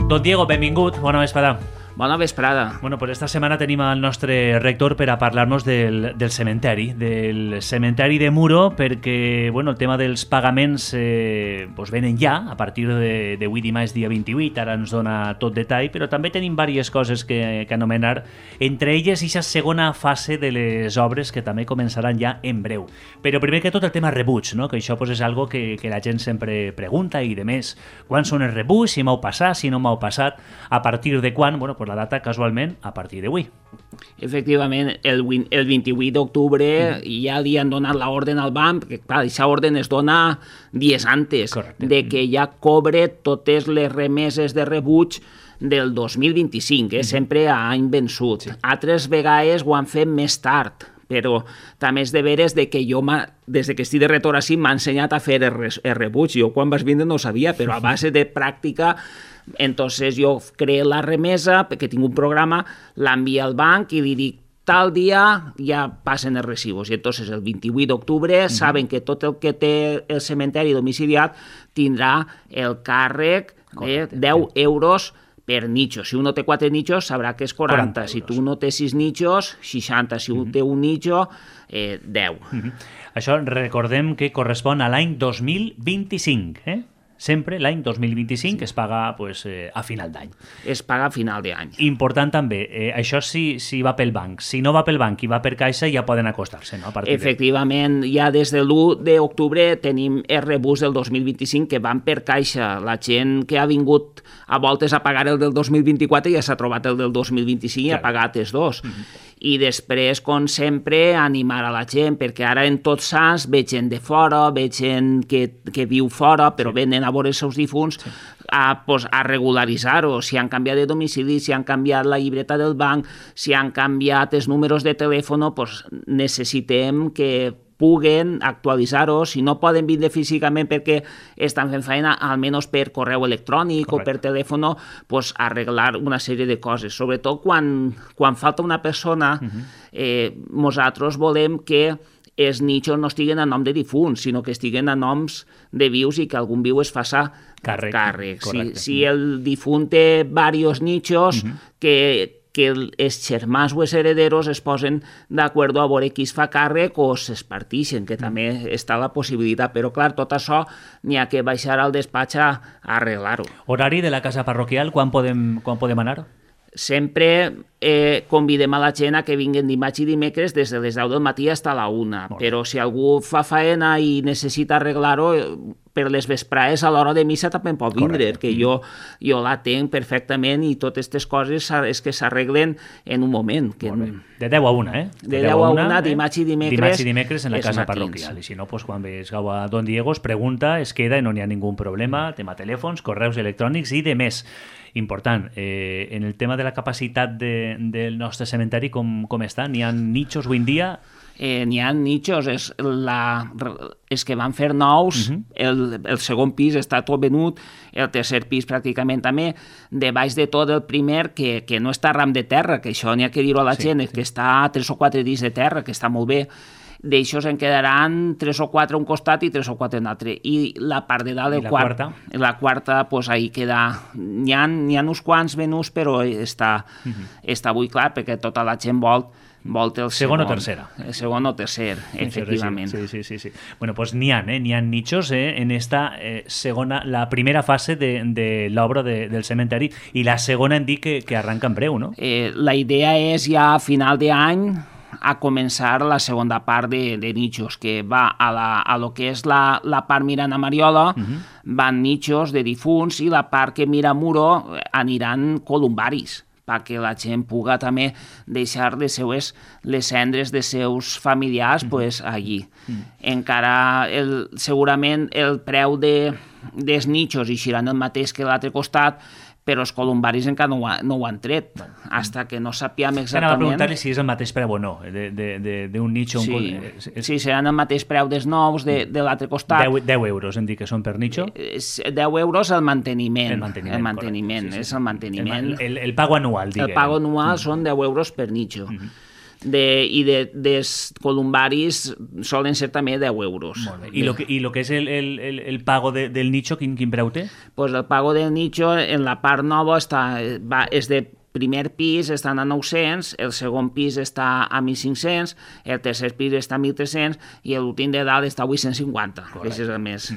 Don Diego, benvingut, bona vesprada. Bona vesprada. Bueno, pues esta setmana tenim el nostre rector per a parlar-nos del cementeri de Muro, perquè bueno, el tema dels pagaments pues venen ja, a partir d'avui dimarts dia 28, ara ens dona tot detall, però també tenim diverses coses que anomenar, entre elles aquesta segona fase de les obres que també començaran ja en breu. Però primer que tot el tema rebuig, no? Que això pues, és algo que la gent sempre pregunta i de més, quan són els rebuig, si m'heu passat, si no m'heu passat, a partir de quan, bueno, pues la data casualment a partir d'avui. Efectivament, el 28 d'octubre ja li han donat l'ordre al banc, perquè clar, aquesta ordre es dona dies antes. Correcte. De que ja cobre totes les remeses de rebuig del 2025, sempre a any vençut. Sí. Altres vegades ho han fet més tard, però també és de veres de que jo, des que estic de retorn així, m'ha ensenyat a fer el rebuig. Jo quan vas vindre no ho sabia, però a base de pràctica, entonces jo creo la remesa, perquè tinc un programa, l'envia al banc i li dic tal dia ja passen els recibos. I entonces el 28 d'octubre saben que tot el que té el cementeri domiciliat tindrà el càrrec de 10 euros per nicho. Si uno té 4 nichos, sabrà que és 40. Si tu no té 6 nichos, 60. Si un té un nicho, 10. Això recordem que correspon a l'any 2025, Sempre l'any 2025 es paga pues, a final d'any. Es paga a final d'any. Important també, això si va pel banc. Si no va pel banc i va per caixa, ja poden acostar-se, no? Efectivament, ja des de l'1 d'octubre tenim els rebuts del 2025 que van per caixa. La gent que ha vingut a voltes a pagar el del 2024 ja s'ha trobat el del 2025 i ha pagat els dos. I després, com sempre, animar a la gent, perquè ara en Tots Sants veig gent de fora, veig gent que viu fora, però venen a veure els seus difunts a regularitzar-ho, si han canviat de domicili, si han canviat la llibreta del banc, si han canviat els números de telèfon, doncs necessitem que puguen actualitzar-ho, si no poden vindre físicament perquè estan fent feina, almenys per correu electrònic o per telèfon, pues arreglar una sèrie de coses. Sobretot quan falta una persona, nosaltres volem que els nichos no estiguen a nom de difunts, sinó que estiguen a noms de vius i que algun viu es faça càrrec. Si el difunt té diversos nichos, que els germans o els herederos es posen d'acord a veure qui es fa càrrec o s'espartixen, que també està la possibilitat. Però, clar, tot això n'hi ha que baixar al despatx a arreglar-ho. Horari de la casa parroquial, quan podem anar? Sempre convidem a la gent a que vinguin dimarts i dimecres des de les 10 del matí fins a la 1. Però si algú fa faena i necessita arreglar-ho, per les vesprades a l'hora de missa també pot vindre, que jo la tenc perfectament i totes aquestes coses és que s'arreglen en un moment. De 10 a 1, De 10 a 1, dimarts i dimecres. Dimarts i dimecres en la casa parroquial. I si no, quan vegeu a Don Diego, es pregunta, es queda i no n'hi ha ningú problema. Tema telèfons, correus electrònics i de més. Important, en el tema de la capacitat del nostre cementeri, com està? N'hi ha nichos avui en dia? N'hi ha nichos, és que van fer nous, el segon pis està tot venut, el tercer pis pràcticament també, de baix de tot el primer, que no està ram de terra, que això n'hi ha que dir-ho a la gent, que està a 3 o 4 dits de terra, que està molt bé. D'aixòs en quedaran 3 o 4 a un costat i 3 o 4 en l'altre. I la part de dalt, la quarta, pues ahí queda. N'hi ha uns quants venuts, però està avui clar, perquè tota la gent vol el segon o tercera. El segon o tercer, efectivament. Sí. Bueno, pues n'hi ha nichos en esta segona, la primera fase de l'obra del cementeri, i la segona hem dit que arranca en breu, no? La idea és ja a final d'any a començar la segona part de nichos, que va a lo que és la part mirant a Mariola, van nichos de difunts, i la part que mira a Muro aniran columbaris, perquè la gent puga també deixar les cendres de seus familiars allí. Encara, segurament, el preu dels nichos eixiran el mateix que l'altre costat, però els columbaris encara no ho han tret, fins que no sapiem exactament... Anava a preguntar-li si és el mateix preu o no, d'un nicho... Sí, seran el mateix preu dels nous de l'altre costat. 10 euros, hem dit que són per nicho? 10 euros el manteniment. El manteniment, és el manteniment. El pago anual, diguem. El pago anual són 10 euros per nicho. i dels columbaris solen ser també 10 euros. Molt bé. I lo que és el pago del nicho, quin preu té? Pues el pago del nicho en la part nova és de primer pis estan a 900, el segon pis està a 1.500, el tercer pis està a 1.300 i l'últim de dalt està a 850. Aquest és el més...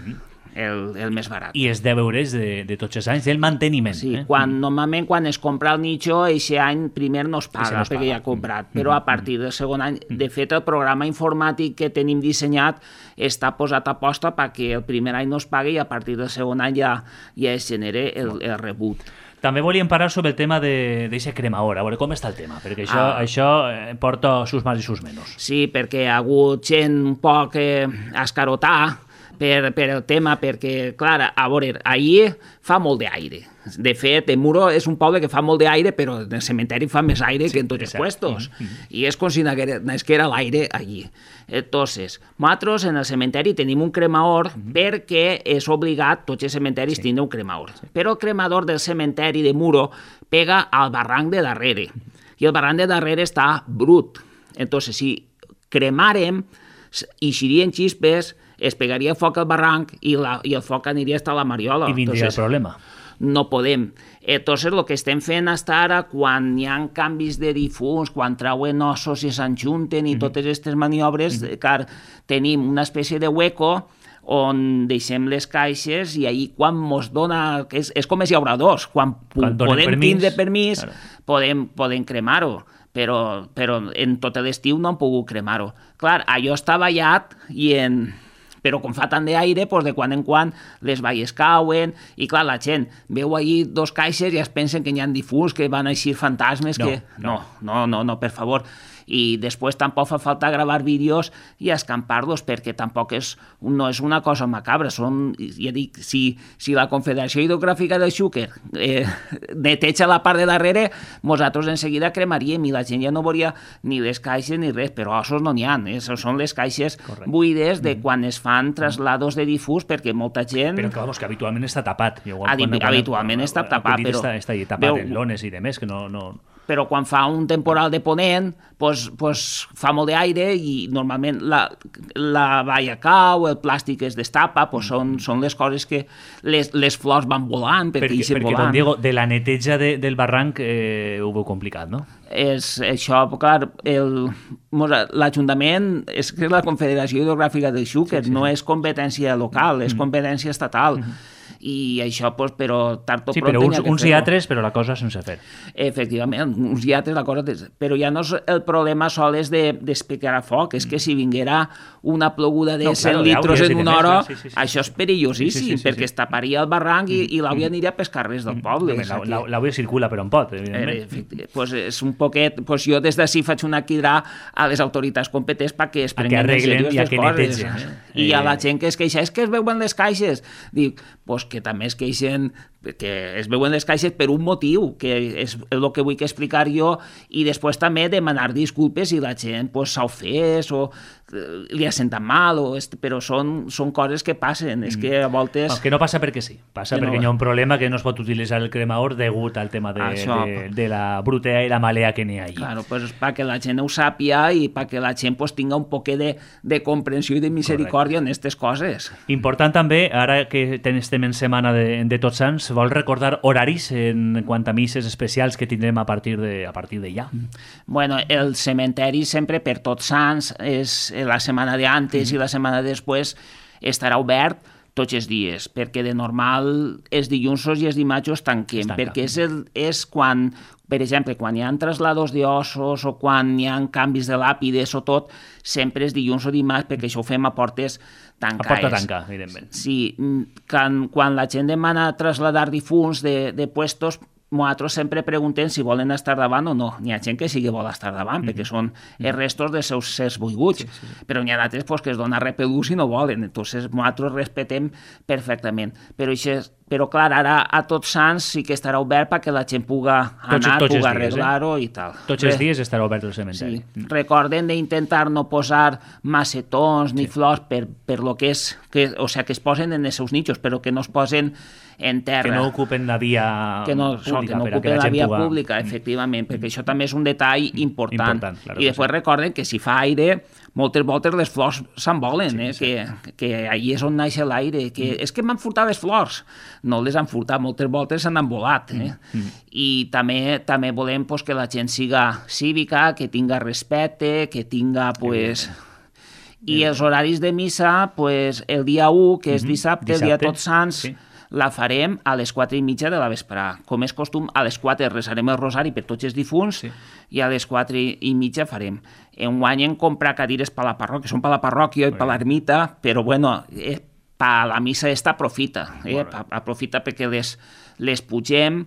el més barat. I és 10 euros de tots els anys del manteniment. Sí, normalment quan es compra el nicho, aquest any primer no es paga perquè ja ha comprat, però a partir del segon any, de fet el programa informàtic que tenim dissenyat està posat a posta perquè el primer any no es pagui i a partir del segon any ja es genera el rebut. També volíem parlar sobre el tema d'aquest cremaor, a veure com està el tema, perquè això porta sus más i sus menos. Sí, perquè ha hagut gent un poc escarotar per el tema, perquè, clar, a veure, ahir fa molt d'aire. De fet, el Muro és un poble que fa molt d'aire, però en el cementeri fa més aire que en tots els puestos. I és com si n'hagués que era l'aire allí. Entonces, nosaltres en el cementeri tenim un cremaor perquè és obligat, tots els cementeris tindre un cremaor. Però el cremador del cementeri de Muro pega al barranc de darrere. I el barranc de darrere està brut. Entonces, si cremàrem, eixirien xispes, es pegaria foc al barranc i el foc aniria a la Mariola. I vindria el problema. No podem. Entonces, el que estem fent fins ara, quan hi ha canvis de difunts, quan trauen ossos i s'enjunten i totes aquestes maniobres, car tenim una espècie de hueco on deixem les caixes i ahir quan mos dona... És com els llauradors, quan podem tindre permís, podem cremar-ho. Però en tot l'estiu no han pogut cremar-ho. Clar, allò està ballat però com fa tant d'aire, de quan en quan les valles cauen, i clar, la gent veu allí 2 caixes i es pensen que hi ha difunts, que van eixir fantasmes, No, per favor. I després tampoc fa falta gravar vídeos i escampar-los, perquè tampoc no és una cosa macabra. Ja dic, si la Confederació Hidrogràfica del Xúquer neteja la part de darrere, nosaltres en seguida cremaríem i la gent ja no veuria ni les caixes ni res, però ossos no n'hi ha. Són les caixes buides de quan es fan traslados de difús, perquè molta gent... Però que habitualment està tapat. Habitualment està tapat, però... Està tapat en lones i demés, que no... Però quan fa un temporal de ponent, fa molt d'aire i normalment la valla cau, el plàstic es destapa, són les coses que les flors van volant, perquè don Diego, de la neteja del barranc ho veu complicat, no? És això, clar, l'Ajuntament és que és la Confederació Hidrogràfica del Xúquer, no és competència local, és competència estatal. I això, però tard o pront... Sí, però uns i altres, però la cosa sense fer. Efectivament, uns i altres la cosa... Però ja no és el problema sol és d'explicar a foc, és que si vinguera una ploguda de 100 litres en una hora, això és perillosíssim, perquè es taparia el barranc i l'àvia aniria pels carrers del poble. L'àvia circula per on pot, evidentment. És un poquet... Jo des d'ací faig una crida a les autoritats competents perquè es prenguin en sèrio aquestes coses. I a la gent que es queixa, és que es veuen les caixes. Dic, que també es queixen, que es veuen les caixes per un motiu, que és el que vull explicar jo, i després també demanar disculpes si la gent s'ha ofès o li ha sentat mal, però són coses que passen, és que a voltes... Que no passa perquè sí, passa perquè hi ha un problema que no es pot utilitzar el cremaor degut al tema de la brutea i la malea que n'hi ha allí. Claro, pues perquè la gent ho sàpia i perquè la gent tinga un poquet de comprensió i de misericòrdia en aquestes coses. Important també, ara que estem en setmana de Tots Sants, vol recordar horaris en quant a misses especials que tindrem a partir de ja? Bueno, el cementeri sempre per Tots Sants és la setmana d'antes i la setmana després estarà obert tots els dies, perquè de normal els dilluns i els dimarts tanquem, perquè és quan, per exemple, quan hi ha traslados d'ossos o quan hi ha canvis de làpides o tot, sempre és dilluns o dimarts, perquè això ho fem a portes tancades. A porta tanca, evidentment. Sí, quan la gent demana trasladar difunts de puestos, nosaltres sempre preguntem si volen estar davant o no. N'hi ha gent que sí que vol estar davant, perquè són els restos dels seus sers buiguts, però n'hi ha d'altres que es dona repelús i no volen. Entonces, nosaltres respetem perfectament. Però però clar, ara a Tots Sants sí que estarà obert perquè la gent puga anar, puga arreglar-ho i tal. Tots els dies estarà obert el cementeri. Sí. Recorden d'intentar no posar macetons ni flors per lo que és, o sigui, que es posen en els seus nichos, però que no es posen en terra. Que no ocupen la via pública. Que no ocupen la via pública, efectivament, perquè això també és un detall important. I després recorden que si fa aire, moltes voltes les flors s'envolen, que allí és on naix l'aire, que és que m'han furtat les flors. No les han furtat, moltes voltes s'han volat. I també volem que la gent siga cívica, que tinga respecte, que tinga, I els horaris de missa, el dia 1, que és dissabte, el dia Tots Sants, la farem a les 4:30 de la vesprà. Com és costum, a les 4 resarem el rosari per tots els difunts i a les 4:30 farem. Enguany hem comprat cadires per la parròquia, són per la parròquia i per l'ermita, però bueno, per la missa esta aprofita, aprofita perquè les pugem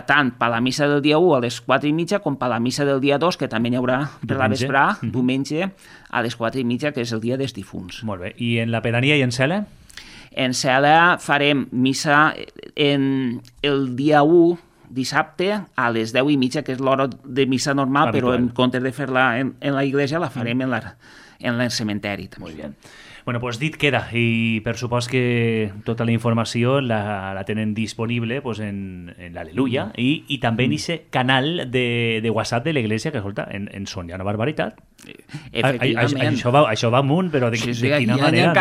tant per la missa del dia 1 a les 4:30 com per la missa del dia 2, que també n'hi haurà per la vesprà, diumenge, a les 4:30, que és el dia dels difunts. Molt bé. I en la pedania i en Cela? En Cela farem missa el dia 1, dissabte, a les 10:30, que és l'hora de missa normal, habitual. Però en comptes de fer-la en la iglesia, la farem en el cementeri. Molt bé. Bueno, pues dit queda, i per supost que tota la informació la tenen disponible en l'Aleluia i també en aquest canal de WhatsApp de l'Església, que escolta, en són ja una barbaritat. Efectivament. Això va amunt, però de quina manera, hi ha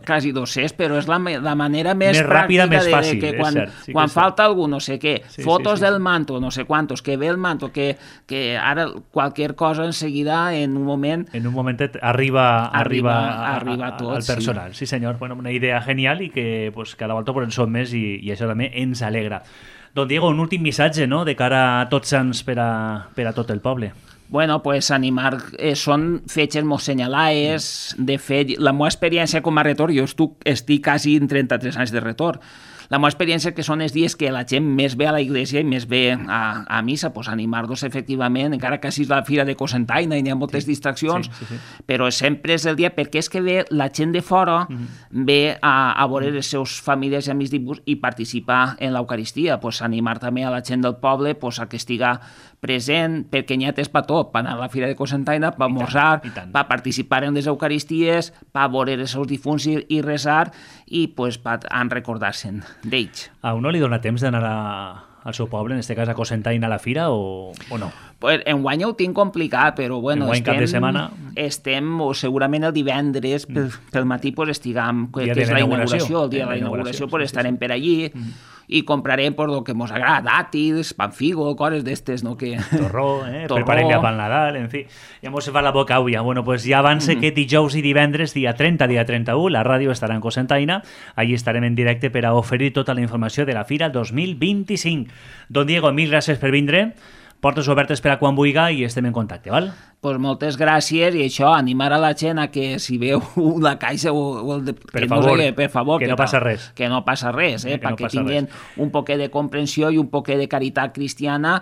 quasi 200, però és la manera més ràpida, més fàcil, que quan falta algú, no sé què, fotos del manto, no sé quantos, que ve el manto, que ara qualsevol cosa enseguida, en un moment arriba tot. Al personal, sí senyor. Bueno, una idea genial i que cada volta en som més i això també ens alegra. Don Diego, un últim missatge, no?, de cara a Tots Sants per a tot el poble. Bueno, animar, són fetges molt senyalades. De fet, la meva experiència com a retor, jo estic quasi en 33 anys de retor, la meva experiència que són els dies que la gent més ve a la iglesia i més ve a missa, animar-los efectivament, encara que sigui la fira de Cocentaina i hi ha moltes distraccions, però sempre és el dia, perquè és que ve la gent de fora, ve a veure les seves famílies i amics i participar en l'Eucaristia, animar també a la gent del poble a que estiga present, perquè n'hi ha temps per tot, per anar a la fira de Cocentaina, per esmorzar, per participar en les Eucaristies, per veure els seus difunts i resar, i per recordar-se'n d'ells. A uno li dona temps d'anar al seu poble, en aquest cas a Cocentaina, a la fira, o no? Enguany ho tinc complicat, però bueno, cap de setmana estem, o segurament el divendres pel matí estiguem, que és la inauguració, el dia de la inauguració, estarem per allí i comprarem el que ens agrada, dàtils, panfigo, coses d'estes, no? Torró, preparem ja pel Nadal, en fi, ja mos fa la boca avui. Bueno, pues ja abans que dijous i divendres, dia 30, dia 31, la ràdio estarà en Cocentaina, allí estarem en directe per a oferir tota la informació de la Fira 2025. Don Diego, mil gràcies per vindre, portes obertes per a quan vulga i estem en contacte, val? Pues moltes gràcies, i això, animar a la gent a que si veu la caixa o el... Per favor, que no passa res. Que no passa res, perquè tinguin un poquet de comprensió i un poquet de caritat cristiana,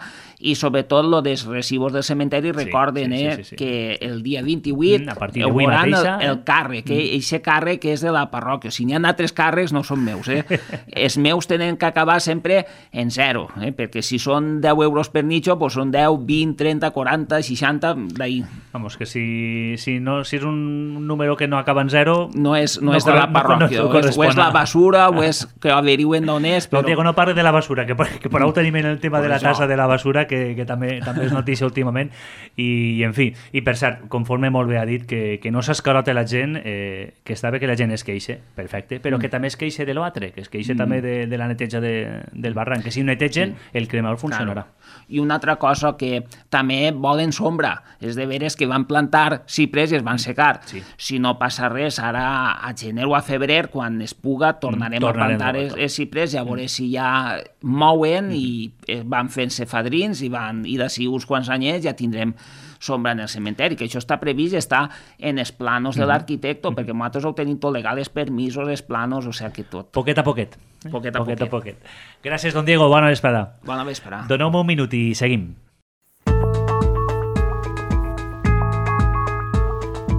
i sobretot lo dels recibos del cementeri, recorden que el dia 28 veuran el càrrec, aquest càrrec és de la parròquia. Si n'hi ha altres càrrecs no són meus, els meus tenen que acabar sempre en zero, perquè si són 10 euros per nicho, són 10, 20, 30, 40, 60, d'ahir. Vamos, que si és un número que no acaba en zero... No és de la parròquia, o és la basura, o és que averigüen d'on és, però... No, Diego, no parli de la basura, que per ho tenim en el tema de la tassa de la basura, que també és notícia últimament, i en fi, i per cert, conforme molt bé ha dit, que no s'escarote la gent, que està bé que la gent es queixe, perfecte, però que també es queixe de l'altre, que es queixe també de la neteja del barranc, que si netegen, el cremador funcionarà. I una altra cosa que també volen sombra, és de veres que van plantar ciprers i es van secar. Si no passa res, ara a gener o a febrer, quan es puga, tornarem a plantar els ciprers i a veure si ja mouen i van fent-se fadrins i d'ací uns quants anyets ja tindrem sombra en el cementeri, que això està previst, està en els planos de l'arquitecte, perquè nosaltres ho tenim tot legal, els permisos, els planos, o sigui que tot. Poquet a poquet. Gràcies, don Diego, bona vesprada. Bona vesprada. Doneu-me un minut i seguim.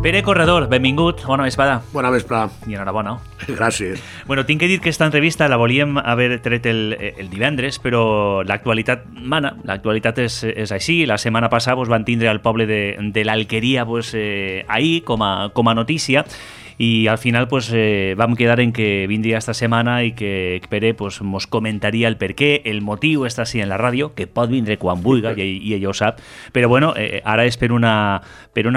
Pere Corredor, benvingut, bona vesprada. Bona vesprada. I enhorabona. Gràcies. Bueno, tinc que dir que aquesta entrevista la volíem haver tret el divendres, però l'actualitat mana, l'actualitat és així. La setmana passada van tindre al poble de l'Alqueria ahir com a notícia, i al final vam quedar en que vindria esta setmana i que Pere mos comentaria el per què, el motiu està així en la ràdio, que pot vindre quan vulga i ell ho sap, però bueno, ara és per una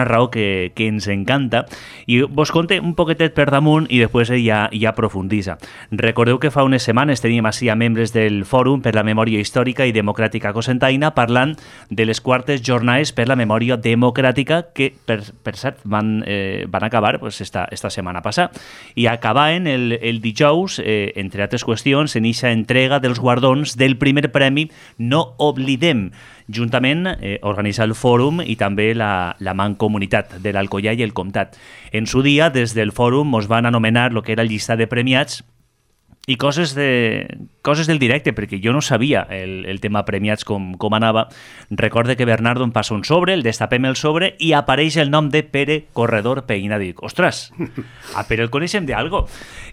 raó que ens encanta, i vos conte un poquetet per damunt i després ja aprofundissa. Recordeu que fa unes setmanes teníem així a membres del Fòrum per la Memòria Històrica i Democràtica Cocentaina parlant de les quartes jornades per la memòria democràtica que, per cert, van acabar esta setmana passada. I acabaven el dijous, entre altres qüestions, en eixa entrega dels guardons del primer premi No Oblidem, juntament organitza el Fòrum i també la Mancomunitat de l'Alcoià i el Comtat. En su dia, des del Fòrum, ens van anomenar el que era el llistat de premiats i coses del directe, perquè jo no sabia el tema premiats com anava. Recorde que Bernardo em passa un sobre, el destapem el sobre i apareix el nom de Pere Corredor Peïna. Dic, ostres, a Pere el coneixem d'algo.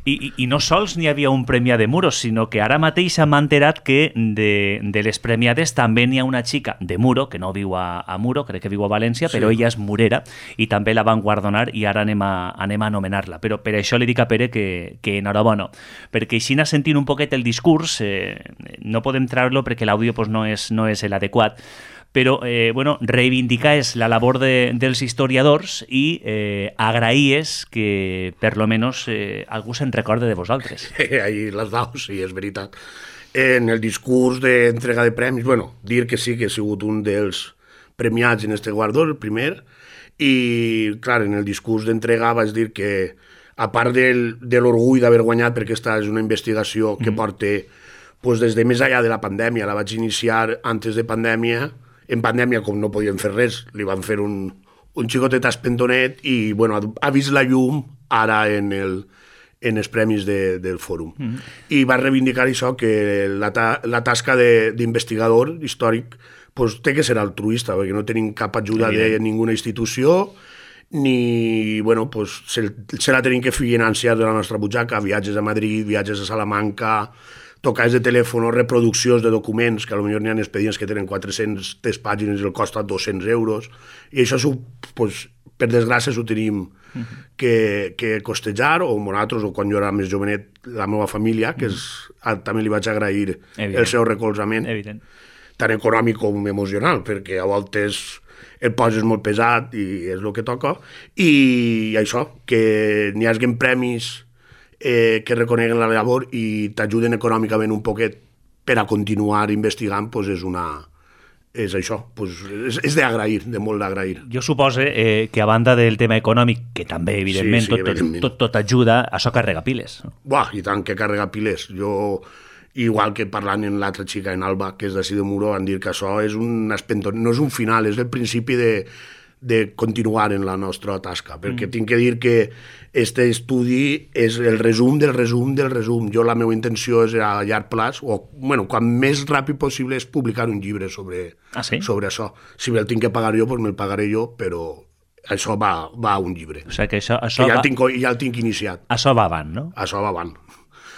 I no sols n'hi havia un premiat de Muros, sinó que ara mateix m'ha enterat que de les premiades també n'hi ha una xica de Muro, que no viu a Muro, crec que viu a València, sí, però ella és murera i també la van guardonar i ara anem a anomenar-la. Però per això li dic a Pere que enhorabona, perquè així sentint un poquet el discurs, no podem treure-lo perquè l'àudio no és l'adequat, però reivindicar és la labor dels historiadors i agrair que per lo menos algú se'n recorde de vosaltres. Ahí les daus, sí, és veritat. En el discurs d'entrega de premis, dir que sí que he sigut un dels premiats en este guardó, el primer, i clar, en el discurs d'entrega vaig dir que a part de l'orgull d'haver guanyat, perquè aquesta és una investigació que porta des de més enllà de la pandèmia, la vaig iniciar antes de pandèmia, en pandèmia com no podíem fer res, li van fer un xicotet espentonet i ha vist la llum ara en els premis del Fòrum. I va reivindicar això, que la tasca d'investigador històric té que ser altruista, perquè no tenim cap ajuda de ninguna institució, ni, se la tenim que financiar de la nostra butxaca, viatges a Madrid, viatges a Salamanca, tocades de telèfon, reproduccions de documents, que potser n'hi ha expedients que tenen 400 pàgines i el costa 200 euros, i això, per desgràcia, ho tenim que costejar, o nosaltres, o quan jo era més jovenet, la meva família, que també li vaig agrair el seu recolzament, tant econòmic com emocional, perquè a voltes el poses molt pesat i és el que toca, i això, que n'hi hagin premis que reconeguen la labor i t'ajuden econòmicament un poquet per a continuar investigant, és això, és d'agrair, de molt d'agrair. Jo suposo que a banda del tema econòmic, que també, evidentment, tot ajuda, això carrega piles. I tant que carrega piles. Jo, igual que parlant amb l'altra xica, en Alba, que és d'ací de Muro, van dir que això és no és un final, és el principi de continuar en la nostra tasca, perquè tinc que dir que aquest estudi és el resum del resum del resum. Jo la meva intenció és a llarg plaç, o quan més ràpid possible, és publicar un llibre sobre això. Si me'l tinc que pagar jo, me'l pagaré jo, però això va a un llibre. O sigui que això ja el tinc iniciat. Això va avant, no? Això va avant.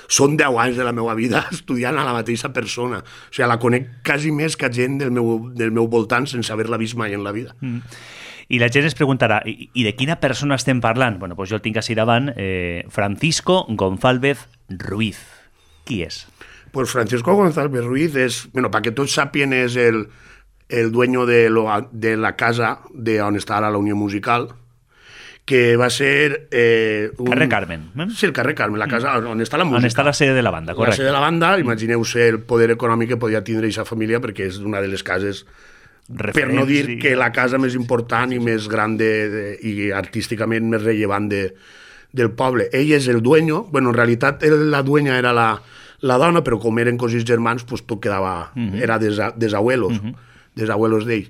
Són 10 anys de la meva vida estudiant a la mateixa persona. O sigui, la conec quasi més que gent del meu voltant sense haver-la vist mai en la vida. I la gent es preguntarà, i de quina persona estem parlant? Doncs jo el tinc així davant, Francisco González Ruiz. Qui és? Pues Francisco González Ruiz és, perquè tots sàpien, és el dueño de la casa on està ara la Unió Musical, que va ser... Carrer Carmen. Sí, el carrer Carmen, la casa on està la música. On està la sede de la banda, correcte. La sede de la banda, imagineu-se el poder econòmic que podia tindre aquesta família, perquè és una de les cases, per no dir que la casa més important i més gran i artísticament més rellevant del poble. Ell és el dueño, en realitat la dueña era la dona, però com eren cosins germans, tot quedava... Era des abuelos d'ell.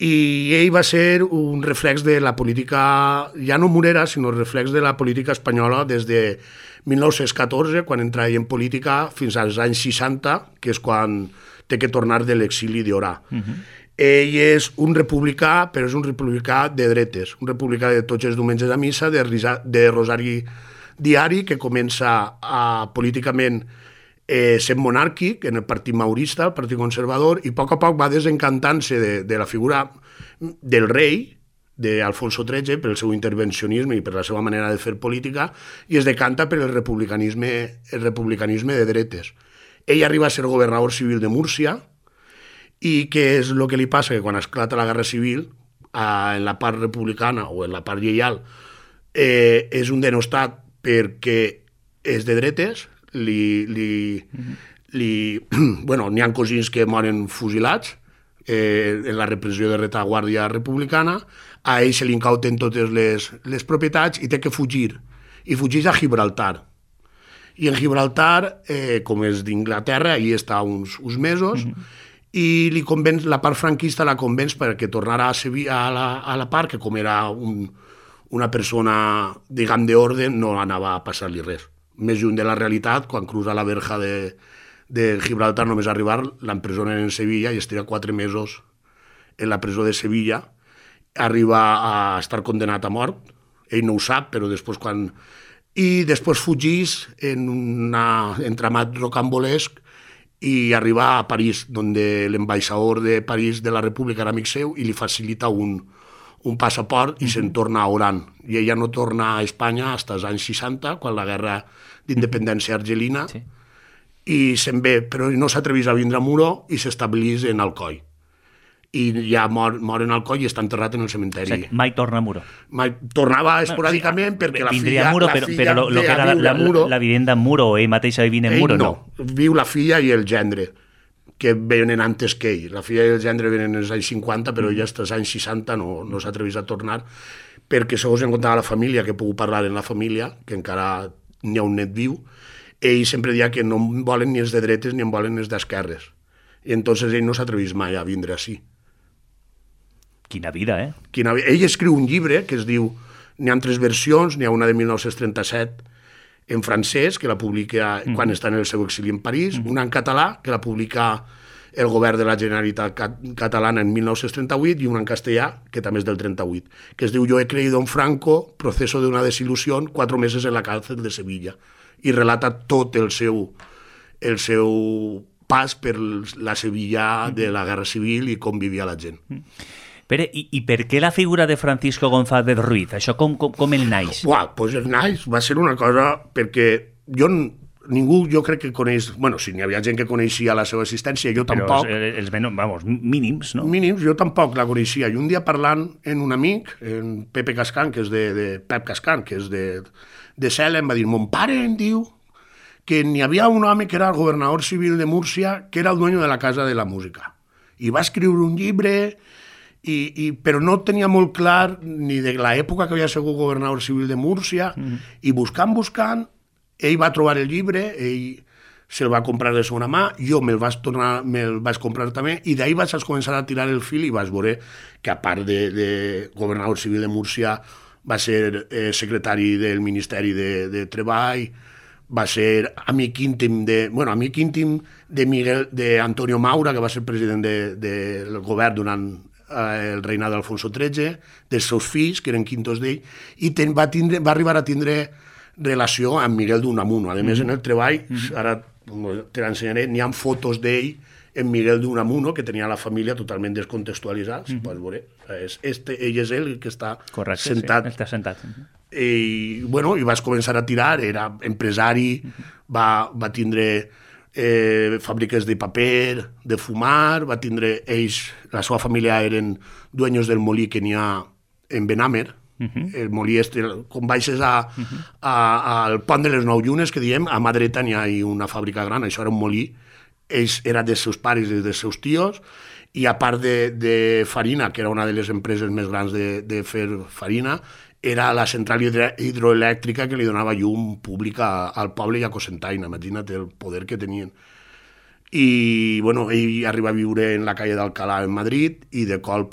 I ell va ser un reflex de la política, ja no murera, sinó reflex de la política espanyola des de 1914, quan entra ell en política, fins als anys 60, que és quan té que tornar de l'exili d'Orà. Ell és un republicà, però és un republicà de dretes, un republicà de tots els diumenges a missa, de Rosari Diari, que comença políticament sent monàrquic en el partit maurista, el partit conservador, i a poc va desencantant-se de la figura del rei, d'Alfonso XIII, pel seu intervencionisme i per la seva manera de fer política, i es decanta per el republicanisme de dretes. Ell arriba a ser governador civil de Múrcia, i què és el que li passa? Que quan esclata la Guerra Civil, en la part republicana o en la part lleial, és un denostat perquè és de dretes, n'hi ha cosins que moren fusilats en la repressió de retaguardia republicana, a ell se li incauten totes les propietats i té que fugir, i fugeix a Gibraltar. I en Gibraltar, com és d'Inglaterra, allà està uns mesos, i li convenç, la part franquista la convenç perquè tornara a Sevilla a la part, que com era una persona, diguem, d'ordre, no anava a passar-li res. Més lluny de la realitat, quan cruza la verja de Gibraltar, només arribar, l'empresonen en Sevilla i es tira 4 mesos en la presó de Sevilla, arriba a estar condenat a mort, ell no ho sap, però després quan... I després fugís en un entramat rocambolesc i arriba a París, on l'ambaixador de París de la República era amic seu i li facilita un passaport i se'n torna a Oran. I ella no torna a Espanya fins als anys 60, quan la guerra d'independència argelina, i se'n ve, però no s'atrevís a vindre a Muro i s'establís en Alcoi. I ja mor en Alcoi i està enterrat en el cementeri. O sigui, mai torna a Muro. Tornava esporàdicament perquè la filla... Muro, però lo que era la vivenda en Muro, ell mateix vivint en Muro, no? Viu la filla i el gendre, que venen antes que ell. La filla i el gendre venen als anys 50, però ja als anys 60 no s'atrevís a tornar, perquè segons em contava la família, que he pogut parlar en la família, que encara n'hi ha un net viu, ell sempre deia que no en volen ni els de dretes ni en volen els d'esquerres. I entonces ell no s'atrevís mai a vindre així. Quina vida, eh? Ell escriu un llibre que es diu... N'hi ha 3 versions, n'hi ha una de 1937 en francès, que la publica quan està en el seu exili en París, una en català, que la publica el govern de la Generalitat catalana en 1938, i una en castellà, que també és del 38, que es diu Yo he creído en Franco, proceso de una desilusión, 4 meses en la cárcel de Sevilla, i relata tot el seu pas per la Sevilla de la Guerra Civil i com vivia la gent. Pere, i per què la figura de Francisco González Ruiz? Això com el naix? Doncs el naix va ser una cosa perquè ningú jo crec que coneix... Bueno, si n'hi havia gent que coneixia la seva existència, jo tampoc. Però els mínims, no? Mínims, jo tampoc la coneixia. I un dia parlant amb un amic, en Pepe Cascan, que és Pep Cascan, que és de Cela, em va dir, mon pare em diu que n'hi havia un home que era el governador civil de Múrcia, que era el dueño de la Casa de la Música. I va escriure un llibre... però no tenia molt clar ni de l'època que havia sigut governador civil de Múrcia, i buscant, ell va trobar el llibre, ell se'l va comprar de segona mà, jo me'l vaig comprar també, i d'ahir vaig començar a tirar el fil i vaig veure que, a part de governador civil de Múrcia, va ser secretari del Ministeri de Treball, va ser amic íntim d'Antonio Maura, que va ser president del govern durant el reinat d'Alfonso XIII, dels seus fills, que eren quintos d'ell, i va arribar a tindre relació amb Miguel d'Unamuno. A més, en el treball, ara te l'ensenyaré, n'hi ha fotos d'ell en Miguel d'Unamuno, que tenia la família totalment descontextualitzada, si pots veure. Ell és ell que està sentat. Sí, està sentat. I vaig començar a tirar, era empresari, va tindre fàbriques de paper, de fumar, va tindre ells, la seva família eren dueños del molí que n'hi ha en Benàmer, el molí com baixes al pont de les 9 Llunes, que diem, a mà dreta n'hi ha una fàbrica gran, això era un molí, ells eren dels seus pares i dels seus tios, i a part de farina, que era una de les empreses més grans de fer farina, era la central hidroelèctrica que li donava llum pública al poble i a Cocentaina. Imagina't el poder que tenien. I, ell arriba a viure en la calle d'Alcalá en Madrid i de col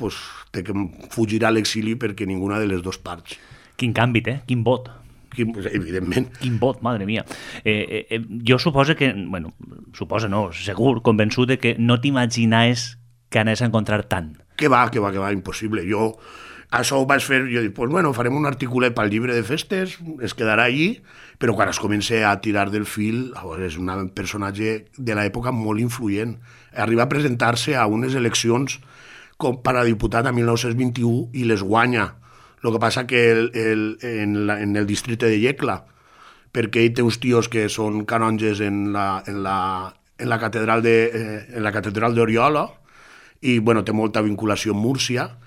té que fugir a l'exili perquè ninguna de les dues parts. Quin canvi, quin vot. Evidentment. Quin vot, madre mia. Jo suposo que, segur, convençut de que no t'imaginaves que anés a encontrar tant. Que va, impossible. Jo això ho vaig fer, jo dic, pues bueno, farem un articulet pel llibre de festes, es quedarà allí, però quan es comença a tirar del fil, és un personatge de l'època molt influent. Arriba a presentar-se a unes eleccions com per a diputat a 1921 i les guanya. El que passa que en el districte de Yecla, perquè ell té uns tios que són canonges en la catedral d'Oriola i bueno, té molta vinculació amb Múrcia,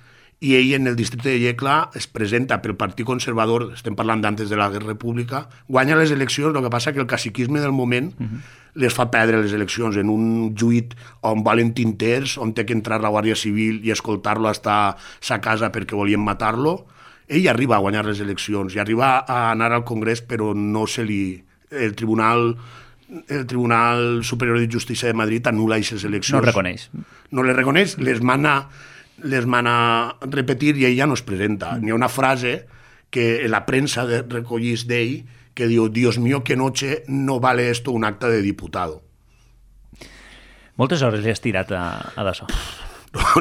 i ell en el districte de Yecla es presenta pel Partit Conservador, estem parlant d'antes de la Guerra República, guanya les eleccions, el que passa que el caciquisme del moment les fa perdre les eleccions en un lluit on volen tinters, on té que entrar la Guàrdia Civil i escoltar-lo hasta sa casa perquè volien matar-lo. Ell arriba a guanyar les eleccions i arriba a anar al Congrés, però no se li... El Tribunal Superior de Justícia de Madrid anul·la aquestes eleccions. No reconeix. No les reconeix, les mana repetir i ell ja no es presenta. Hi ha una frase que la premsa recollís d'ell que diu: Dios mío, que noche, no vale esto un acta de diputado. Moltes hores li has tirat a d'això.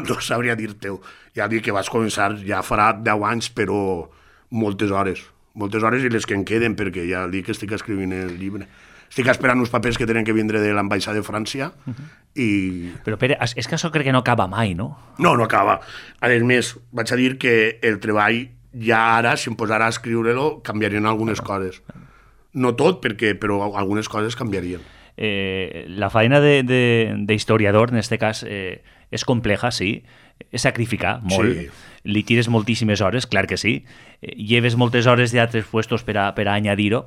No sabria dir-te-ho. Ja dic que vas començar, ja farà 10 anys, però moltes hores i les que en queden, perquè ja dic que estic escrivint el llibre. Estic esperant uns papers que tenen que vindre de l'ambaixada de França i... Però Pere, és que això crec que no acaba mai, no? No acaba. A més, vaig a dir que el treball ja ara, si em posara a escriure-lo, canviarien algunes coses. No tot, però algunes coses canviarien. La feina d'historiador, en aquest cas, és compleja, sí, és sacrificar molt. Sí. Li tires moltíssimes hores, clar que sí. Lleves moltes hores d'altres puestos per a añadir-ho.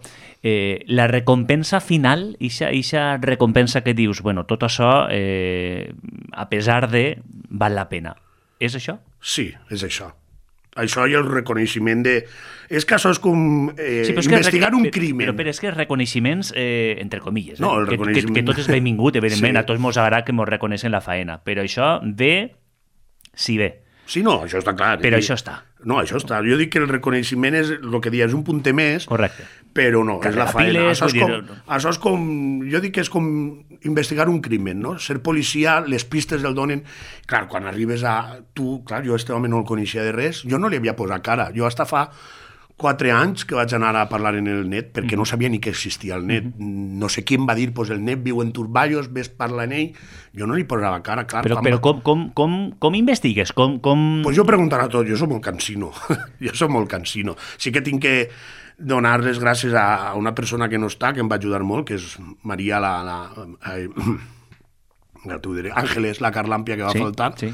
La recompensa final, eixa recompensa que dius, bueno, tot això, a pesar de, val la pena. És això? Sí, és això. Això i el reconeixement de... És que això és com investigar un crimen. Però és que reconeixements, entre comilles, no, el reconeixement... que tot és benvingut, evidentment, sí. A tots mos agrada que mos reconeixen la faena, però això ve si ve. Sí, no, això està clar. Però això està. No, això està. Jo dic que el reconeixement és el que dius, és un punter més. Correcte. Però no, és la faena. Això és com... Jo dic que és com investigar un crimen, no? Ser policia, les pistes el donen... Clar, quan arribes a... Tu, clar, jo este home no el coneixia de res, jo no li havia posat cara. Jo hasta fa 4 anys que vaig anar a parlar en el net, perquè no sabia ni que existia el net. No sé qui em va dir, pues el net viu en Turballos, ves parlar en ell. Jo no li posava cara, clar. Però com investigues? Pues jo preguntaré a tot, jo soc molt cansino. Sí que tinc que donar les gràcies a una persona que no està, que em va ajudar molt, que és Maria ja t'ho diré, Àngeles, la Carlàmpia que va faltar, sí.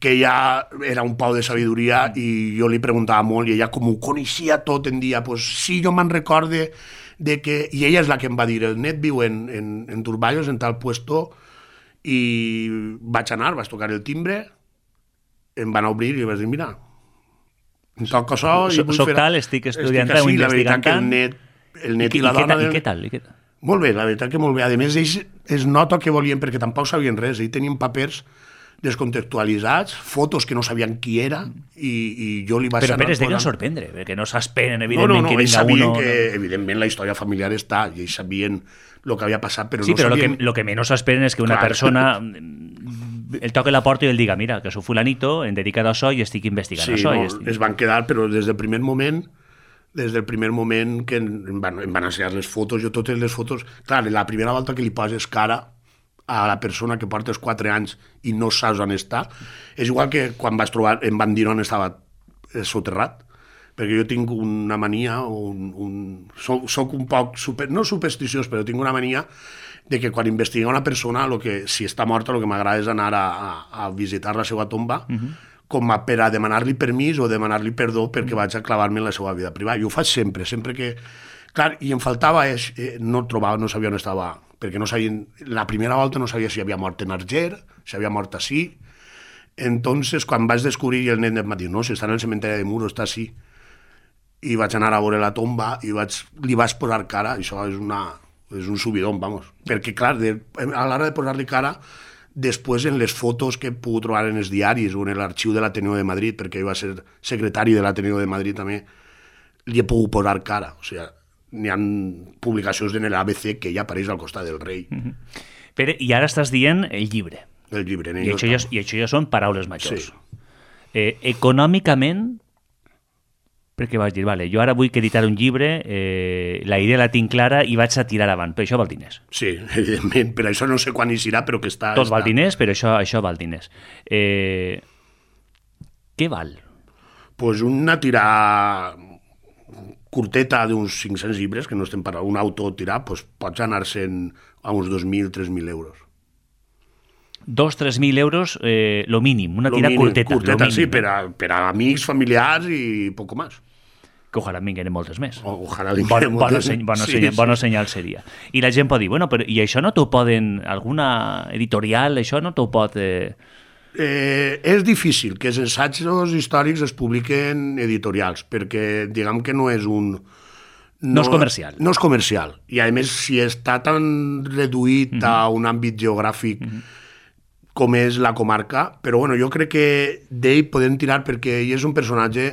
Que ella era un pau de sabidoria i jo li preguntava molt i ella com ho coneixia tot em dia, pues sí, jo me'n recorde de que... I ella és la que em va dir, el net viu en Turballos, en tal puesto, i vaig anar, vaig tocar el timbre, em van obrir i vaig dir, mira, em toca això... Soc tal, estic estudiant, o investigant tant... El net i la dona... I què tal? Molt bé, la veritat que molt bé. A més, ells es nota que volien, perquè tampoc sabien res. Ells tenien papers descontextualitzats, fotos que no sabien qui era, i jo li vaig anar... Però es deien sorprendre, perquè no s'esperen, evidentment, que vinga uno... No, ells sabien que, evidentment, la història familiar està, i ells sabien el que havia passat, però sí, no però sabien... lo que menys s'esperen és que una persona el toque la porta i el diga, mira, que soc fulanito, em dedicat a això i estic investigant això. Sí, es van quedar, però des del primer moment que em van ensenyar les fotos, jo totes les fotos... Clar, la primera volta que li poses cara a la persona que portes 4 anys i no saps on està, és igual que quan vas trobar, em van dir on estava soterrat, perquè jo tinc una mania, soc un poc, no supersticiós, però tinc una mania de que quan investiga una persona, si està morta, el que m'agrada és anar a visitar la seva tomba, com per a demanar-li permís o demanar-li perdó perquè vaig a clavar-me en la seva vida privada. Jo ho faig sempre que... Clar, i em faltava, no trobava, no sabia on estava, perquè no sabien, la primera volta no sabia si havia mort en Arger, si havia mort així. Entonces, quan vaig descobrir, el nen em va dir, no, si està en el cementeri de Muro, està així. I vaig anar a veure la tomba i li vaig posar cara, això és un subidón, vamos. Perquè, clar, a l'hora de posar-li cara, després en les fotos que he pogut trobar en els diaris o en l'arxiu de l'Ateneo de Madrid, perquè ell va ser secretari de l'Ateneo de Madrid també, li he pogut posar cara. O sigui, n'hi ha publicacions en l'ABC que ella apareix al costat del rei. Pere, i ara estàs dient el llibre. El llibre. I això ja són paraules majors. Sí. Econòmicament, perquè vaig dir, vale, jo ara vull editar un llibre, la idea la tinc clara i vaig a tirar avant, però això val diners. Sí, evidentment, per això no sé quan hi serà, però que està... Tot val diners, però això val diners. Què val? Pues una tirada curteta d'uns 500 llibres, que no estem parlant, un auto tirar, pues pots anar-se'n a uns 2.000, 3.000 euros. 2.000-3.000 euros, lo mínim, una tirada curteta. Curteta, sí, per a amics, familiars i poco más. Que ojalà vinguin moltes més. Ojalà vinguin moltes més. Bon senyal seria. I la gent pot dir, bueno, però i això no t'ho poden, alguna editorial, això no t'ho pot... És difícil que els assajos històrics es publiquen editorials, perquè diguem que no és un... No és comercial. No és comercial. I a més, si està tan reduït a un àmbit geogràfic com és la comarca, però bueno, jo crec que d'ell podem tirar perquè ell és un personatge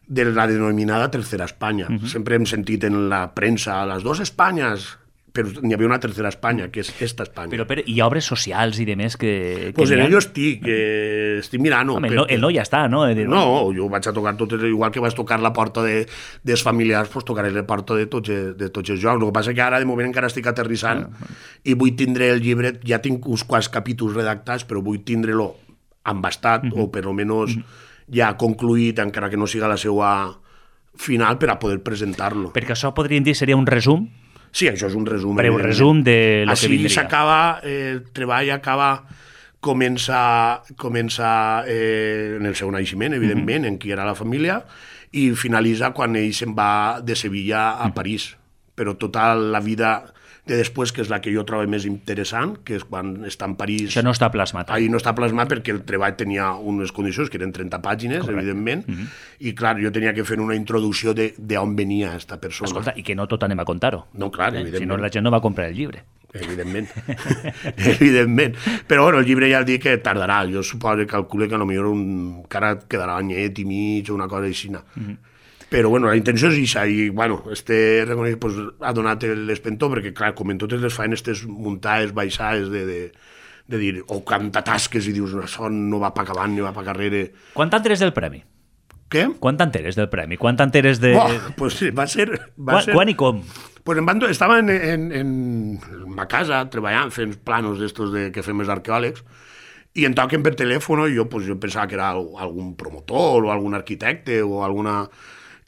de la denominada Tercera Espanya. Sempre hem sentit en la premsa les dues Espanyes, però n'hi havia una tercera Espanya, que és esta Espanya. Però hi ha obres socials i demés que... Pues en ello estic mirant-ho. Home, el no ja està, no? No, jo vaig a tocar totes, igual que vaig tocar la porta dels familiars, pues tocaré la porta de tots els jocs. El que passa que ara, de moment, encara estic aterrissant i vull tindre el llibre, ja tinc uns quants capítols redactats, però vull tindre-lo embastat o per almenys ja concluït, encara que no siga la seva final, per a poder presentar-lo. Perquè això podríem dir seria un resum? Sí, això és un resum. Breu resum de lo que vindria. Així s'acaba, el treball comença en el seu naixement, evidentment, en qui era la família, i finalitza quan ell se'n va de Sevilla a París. Però tota la vida de després, que és la que jo trobo més interessant, que és quan està en París... Això no està plasmat. Ahí no està plasmat perquè el treball tenia unes condicions, que eren 30 pàgines, evidentment, i clar, jo tenia que fer una introducció d'on venia aquesta persona. Escolta, i que no tot anem a contar-ho. No, clar, evidentment. Si no, la gent no va comprar el llibre. Evidentment. Evidentment. Però bueno, el llibre ja el dic que tardarà. Jo suposo que calcule que potser encara quedarà anyet i mig o una cosa així. Però bueno, la intenció és això, i bueno, reconeix, pues, ha donat l'espentó, perquè clar, com en totes les faenes, aquestes muntades, baixades de dir, o canta tasques i dius, això no va pa avant ni va pa carrere. Quan t'enteres del premi? Què? Quan t'enteres del premi? Quan t'enteres de... Pues sí, va ser... Quan i com? Pues estava en ma casa treballant, fent planos d'estos que fem els arqueòlegs, i em toquen per telèfon, i jo pensava que era algun promotor o algun arquitecte o alguna...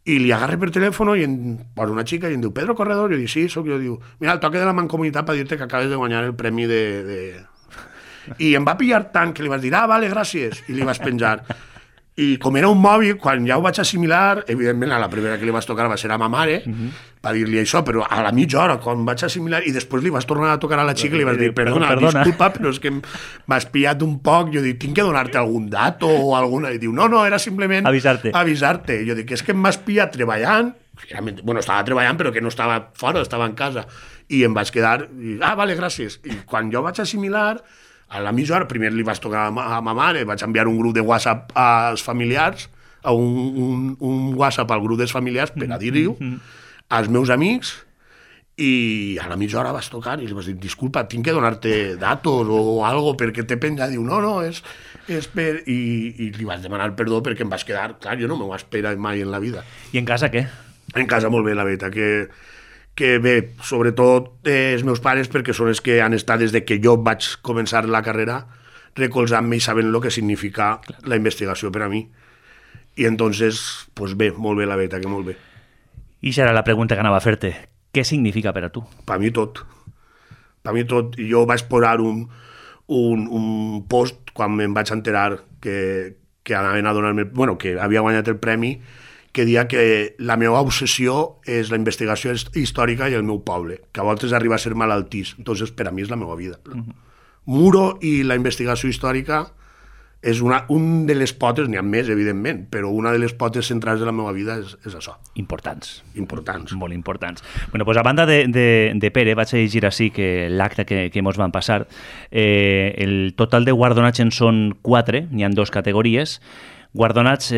I li agarre per telèfon i em posa una xica i em diu, Pedro Corredor? Jo dic, sí, soc jo. Diu, mira, el toque de la Mancomunitat per dir-te que acabes de guanyar el premi I em va pillar tant que li vas dir, vale, gràcies, i li vas penjar. I com era un mòbil, quan ja ho vaig assimilar, evidentment, a la primera que li vas tocar va ser a ma mare, per dir-li això, però a la mitja hora, quan vaig assimilar, i després li vas tornar a tocar a la xica i li vas dir, perdona, disculpa, però és que m'has pillat un poc. Jo dic, tinc que donar-te algun dato o alguna... I diu, no, era simplement... Avisar-te. Jo dic, és que m'has pillat treballant, bueno, estava treballant, però que no estava fora, estava en casa, i em vaig quedar, vale, gràcies. I quan jo vaig assimilar... A la mitja hora, primer li vaig tocar a ma mare, vaig enviar un grup de WhatsApp als familiars, a un WhatsApp al grup dels familiars per a dir-ho als meus amics, i a la mitja hora vas tocar i li vas dir, disculpa, tinc que donar-te datos o algo perquè t'he penjat. Diu, no, és per... I li vaig demanar perdó perquè em vas quedar... Clar, jo no m'ho espera mai en la vida. I en casa què? En casa molt bé, la veritat, que bé, sobretot els meus pares, perquè són els que han estat des de que jo vaig començar la carrera recolzant-me i sabent el que significa la investigació per a mi. I entonces, pues bé, molt bé, la veritat, que molt bé. I això era la pregunta que anava a fer-te. Què significa per a tu? Per mi tot. Per mi tot. Jo vaig posar un post quan em vaig enterar que anaven a donar-me... Bueno, que havia guanyat el premi, que dia que la meva obsessió és la investigació històrica i el meu poble, que a voltes arriba a ser malaltís. Entonces, per a mi és la meva vida. Muro i la investigació històrica és un de les potes, n'hi ha més, evidentment, però una de les potes centrals de la meva vida és això. Importants. Molt importants. Bueno, pues a banda de Pere, vaig a llegir així que l'acte que mos van passar, el total de guardonats en són 4, n'hi ha 2 categories. Guardonats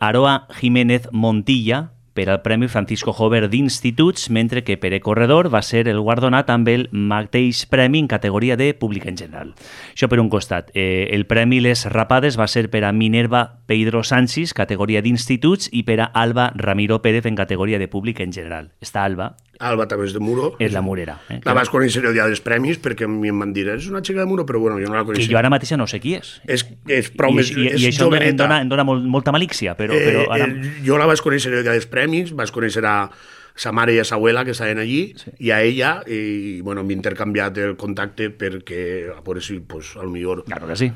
Aroa Jiménez Montilla per al Premi Francisco Jover d'Instituts, mentre que Pere Corredor va ser el guardonat amb el mateix premi en categoria de públic en general. Això per un costat. El Premi Les Rapades va ser per a Minerva Pedro Sánchez, categoria d'Instituts, i per a Alba Ramiro Pérez en categoria de públic en general. Esta Alba també és de Muro. És la murera. La vas conèixer el dia dels premis perquè a mi em van dir, és una xica de Muro, però bueno, jo no la coneixia. Que jo ara mateix no sé qui és. És prou més joveneta. I això em dona molta malícia, però ara... Jo la vaig conèixer el dia dels premis, vaig conèixer a sa mare i a sa abuela que estaven allí, sí. I a ella, i bueno, m'he intercanviat el contacte perquè, a veure si, pues, al millor... Claro que sí.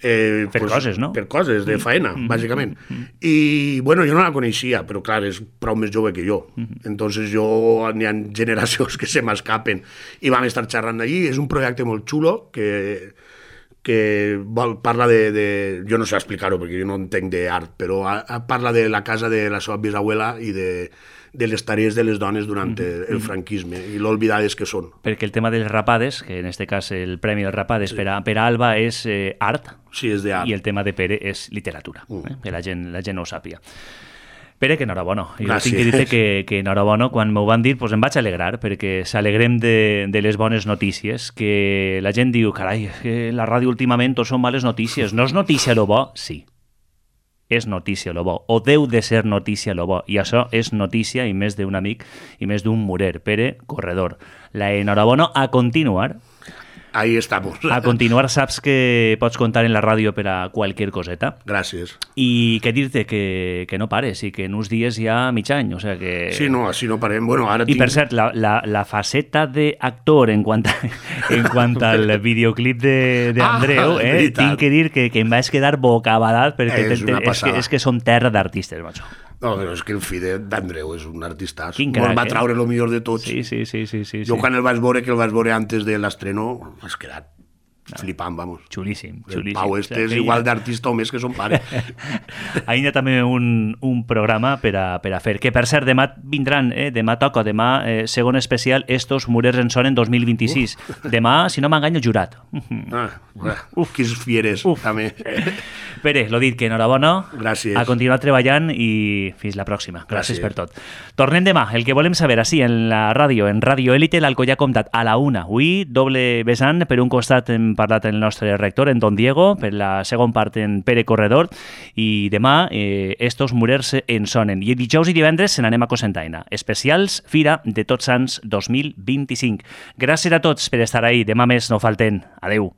Per coses, no? Per coses, de faena, bàsicament. I, bueno, jo no la coneixia, però, clar, és prou més jove que jo. Entonces, n'hi ha generacions que se m'escapen. I vam estar xerrant allí. És un projecte molt xulo que parla de... Jo no sé explicar-ho, perquè jo no entenc d'art, però parla de la casa de la seva bisabuela i de les tarees de les dones durant el franquisme i l'olvidades que són. Perquè el tema dels rapades, que en aquest cas el Premi dels Rapades sí. per a Alba és art, sí, és d'art, i el tema de Pere és literatura, que la gent no ho sàpiga. Pere, que enhorabona. Jo tinc que dir-te que enhorabona. Quan m'ho van dir, doncs em vaig alegrar, perquè s'alegrem de les bones notícies, que la gent diu, carai, que la ràdio últimament tot són males notícies. No és notícia lo bo? Sí. És notícia lo bo, o deu de ser notícia lo bo, i això és notícia i més d'un amic i més d'un murer. Pere Corredor, la enhorabona. A continuar. Ahí estamos. A continuar, saps que pots contar en la ràdio per a qualsevol coseta. Gràcies. I què dir-te, que no pares, i que en uns dies ja mig any, o sea que... Sí, no, així no parem. Bueno, ara I per cert, la faceta d'actor en quant al videoclip d'Andreu, tinc que dir que em vaig quedar bocabadat, perquè és que som terra d'artistes, macho. No, però és que el fill d'Andreu és un artistàs. Quin crac, va traure el millor de tots. Sí. Jo quan el vaig veure, que el vaig veure antes de l'estreno, m'has quedat flipant, vamos. Xulíssim. El Pau és igual d'artista o més que son pare. Ahí hi ha també un programa per a fer, que per cert, demà vindran, demà toca, segon especial, Estos Murers en Sonen 2026. Demà, si no m'enganyo, jurat. Quins fieres, també. Pere, l'ho dit, que enhorabona. Gràcies. A continuar treballant i fins la pròxima. Gràcies per tot. Tornem demà. El que volem saber, així, en la ràdio, en Radio Élite, l'Alcoyà Comtat, a la 1. Avui, doble vessant. Per un costat hem parlat el nostre rector, en Don Diego, per la segon part en Pere Corredor, i demà Estos Murers en Sonen. I dijous i divendres se n'anem a Cocentaina. Especials Fira de Tots Sants 2025. Gràcies a tots per estar ahí. Demà més no falten. Adeu.